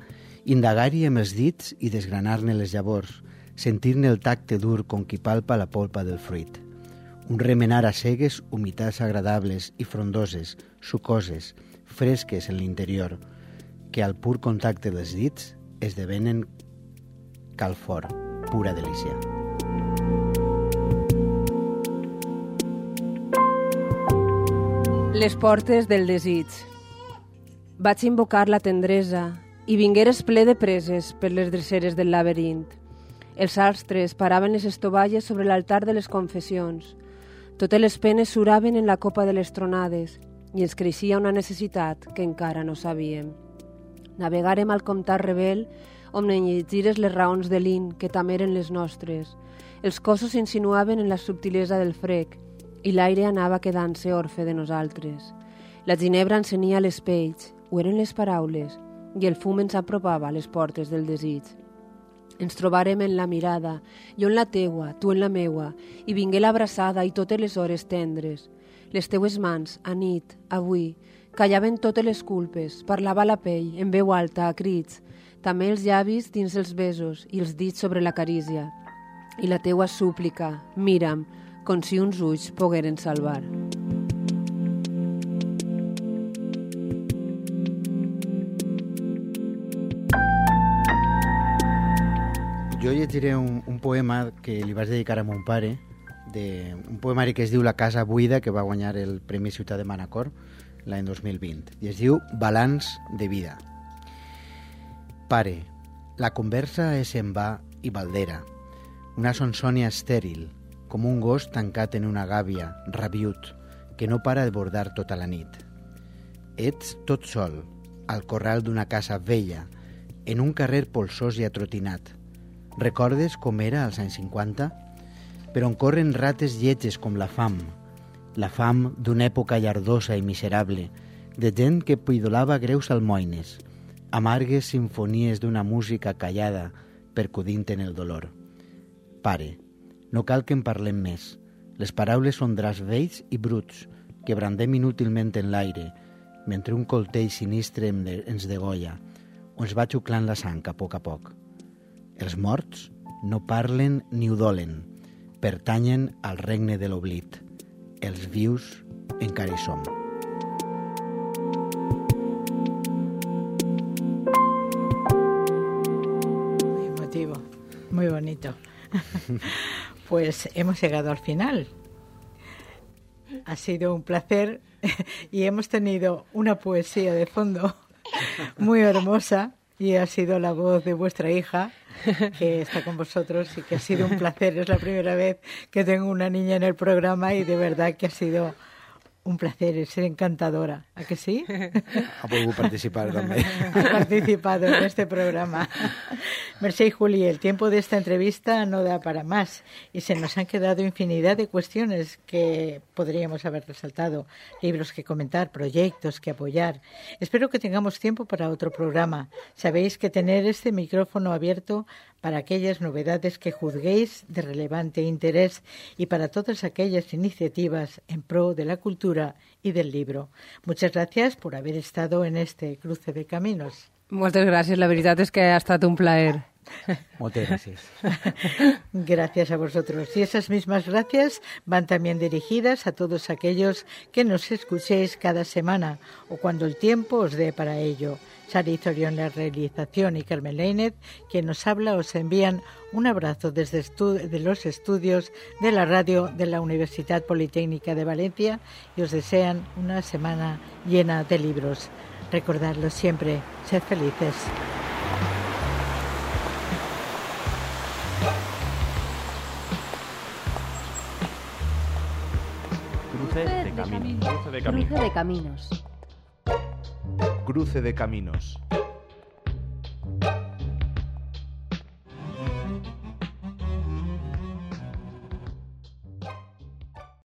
indagar-hi amb els dits i desgranar-ne les llavors, sentir-ne el tacte dur com qui palpa la polpa del fruit. Un remenar a cegues humitats agradables i frondoses, sucoses, fresques en l'interior, que al pur contacte dels dits esdevenen calfor, pura delícia. Les portes del desig. Vaig invocar la tendresa i vingueres ple de preses per les dreceres del laberint. Els astres paraven les estovalles sobre l'altar de les confessions. Totes les penes suraven en la copa de les tronades i ens creixia una necessitat que encara no sabíem. Navegàrem al comtat rebel on enlletgires les raons de l'in que també eren les nostres. Els cossos s'insinuaven en la subtilesa del frec i l'aire anava quedant-se orfe de nosaltres. La ginebra encenia les pells, ho eren les paraules, i el fum ens apropava a les portes del desig. Ens trobarem en la mirada, jo en la teua, tu en la meua, i vingué l'abraçada i totes les hores tendres. Les teues mans, a nit, avui, callaven totes les culpes, parlava la pell, en veu alta, a crits, també els llavis dins els besos i els dits sobre la carícia. i la teua súplica, mira'm, com si uns ulls pogueren salvar. Jo llegiré un poema que li vaig dedicar a mon pare, un poemari que es diu La casa buida, que va guanyar el Premi Ciutat de Manacor l'any 2020, i es diu Balanç de vida. Pare, la conversa és en va i baldera, una sonsònia estèril, com un gos tancat en una gàbia, rabiut, que no para de bordar tota la nit. Ets tot sol, al corral d'una casa vella, en un carrer polsós i atrotinat. Recordes com era als anys 50? Per on corren rates lletges com la fam d'una època llardosa i miserable, de gent que pidolava greus almoines, amargues sinfonies d'una música callada percudint en el dolor. Pare, no cal que en parlem més. Les paraules són draps vells i bruts que brandem inútilment en l'aire, mentre un coltell sinistre ens degolla o ens va xuclant la sang a poc. Els morts no parlen ni udolen, pertanyen al regne de l'oblit. Els vius encara hi som. Muy emotivo, muy bonito. Pues hemos llegado al final. Ha sido un placer y hemos tenido una poesía de fondo muy hermosa y ha sido la voz de vuestra hija que está con vosotros y que ha sido un placer. Es la primera vez que tengo una niña en el programa y de verdad que ha sido un placer, es encantadora. ¿A que sí? Ha podido participar también. Ha participado en este programa. Mercè y Juli, el tiempo de esta entrevista no da para más y se nos han quedado infinidad de cuestiones que podríamos haber resaltado, libros que comentar, proyectos que apoyar. Espero que tengamos tiempo para otro programa. Sabéis que tener este micrófono abierto para aquellas novedades que juzguéis de relevante interés y para todas aquellas iniciativas en pro de la cultura y del libro. Muchas gracias por haber estado en este cruce de caminos. Moltes gràcies, la veritat és que ha estat un plaer. Moltes gràcies. Gracias a vosotros. Y esas mismas gracias van también dirigidas a todos aquellos que nos escuchéis cada semana o cuando el tiempo os dé para ello. Sara Izorión en la realización y Carmen Lainez, quien nos habla, os envían un abrazo desde de los estudios de la radio de la Universidad Politécnica de Valencia y os desean una semana llena de libros. Recordadlo siempre, sed felices. Cruce de caminos. Cruce de caminos. Cruce de caminos.